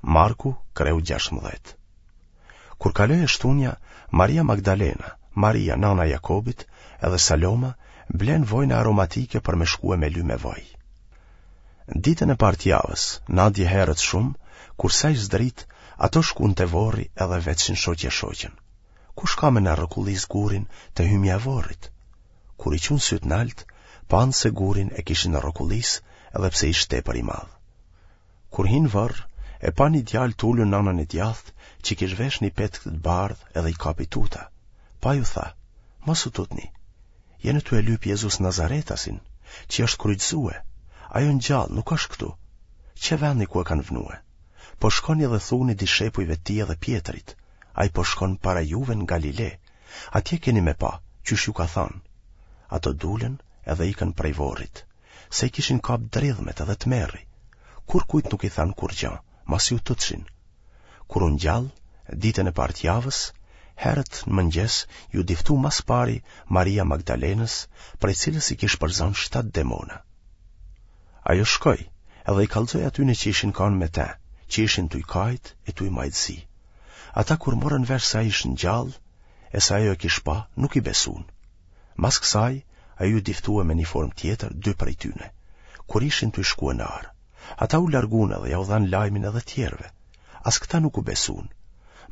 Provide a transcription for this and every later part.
Marku, kreu 16. Kur kaloi e shtunja, Maria Magdalena, Maria, nana e Jakobit, edhe Saloma, blenë vojna aromatike për me shkue me ly me vaj. Ditën e parë të javës, nadje herët shumë, kur sa ish zdrit, ato shkun te vorri edhe vetshin shoqja shoqen. Kush ka me na rrokullis gurin te hymja e vorrit? Kur i çunë sytë nalt, panë se gurin e kishin rrokullis edhe pse ish tepër i madh. Kur hinë n'vorr, e panë një djalë të ulun n'anën e djathtë që kish vesh një petk të bardhë edhe i kapi tuta. Po ai u tha, mos u tutni. Jeni tu e lyp Jezus Nazaretasin, që është kryqëzue. Ai o ngjallë, nuk është këtu. Qe vendi ku e kanë vnue. Po shkoni dhe thuni dishepujve të tij edhe Pjetrit, ai po shkon para juve në Galile. Atje keni me pa, qysh ju ka thanë. Ato dulën edhe ikën prej vorrit, se i kishin kap dridhmet edhe tmerri. Kurkujt nuk i thanë kurgja, masi u tutshin. Kur u ngjall, ditën e parë të javës, herët në mëngjes iu diftu ma s'pari Maria Magdalenës, prej cilës i kish përzanë shtatë demona. Ajo shkoi, edhe i kallxoi atyne që ishin kanë me te, që ishin tuj kajt e tuj majt zi. Ata kur morën vesh se ai ish ngjallë, e se ajo e kish pa, nuk i besun. Mas kësaj, ai iu diftue me një formë tjetër dy prej tyne, kur ishin tuj shkue në arë. Ata u largun edhe jau dhanë lajmin edhe tjerëve. As këta nuk u besun.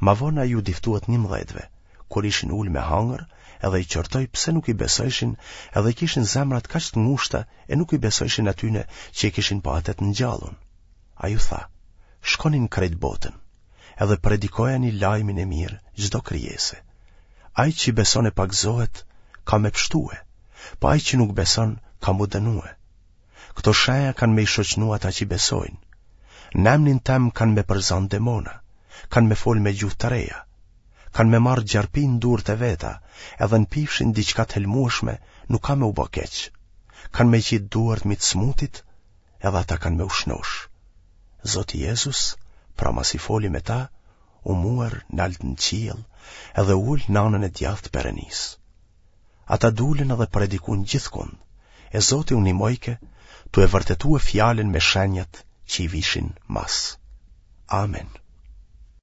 Ma vonë ai iu diftue të njëmdhetëve, kur ishin ulë me hangër, edhe i qortoi pse nuk i besojshin edhe i kishin zemrat kaq të ngushta e nuk i besojshin atyne që e kishin pa atë të ngjallun. Ai u tha, shkoni në krejt botën, edhe predikojani lajmin e mirë çdo krijese. Ai që beson e pagëzohet, ka me pshtue, po ai që nuk beson, ka m'u dënue. Këto shenja kanë me i shoqnu ata që besojnë. Në emnin tem kanë me përzanë demona, kanë me folë me gjuhë të reja, kanë me marrë gjarpij në durët e veta, edhe në pifshin diçka të helmueshme nuk ka me u bo keq. Kanë me qitë duart mi të smutit, edhe ata kanë me u shnosh. Zoti Jezus, pra masi foli me ta, u muer nalt në qiell edhe u ul në anën e djathtë të Perënisë. Ata dulën edhe predikun gjithkund, e Zoti u nimojke tu e vërtetue fjalën me shenjat që i vishin mas. Amen.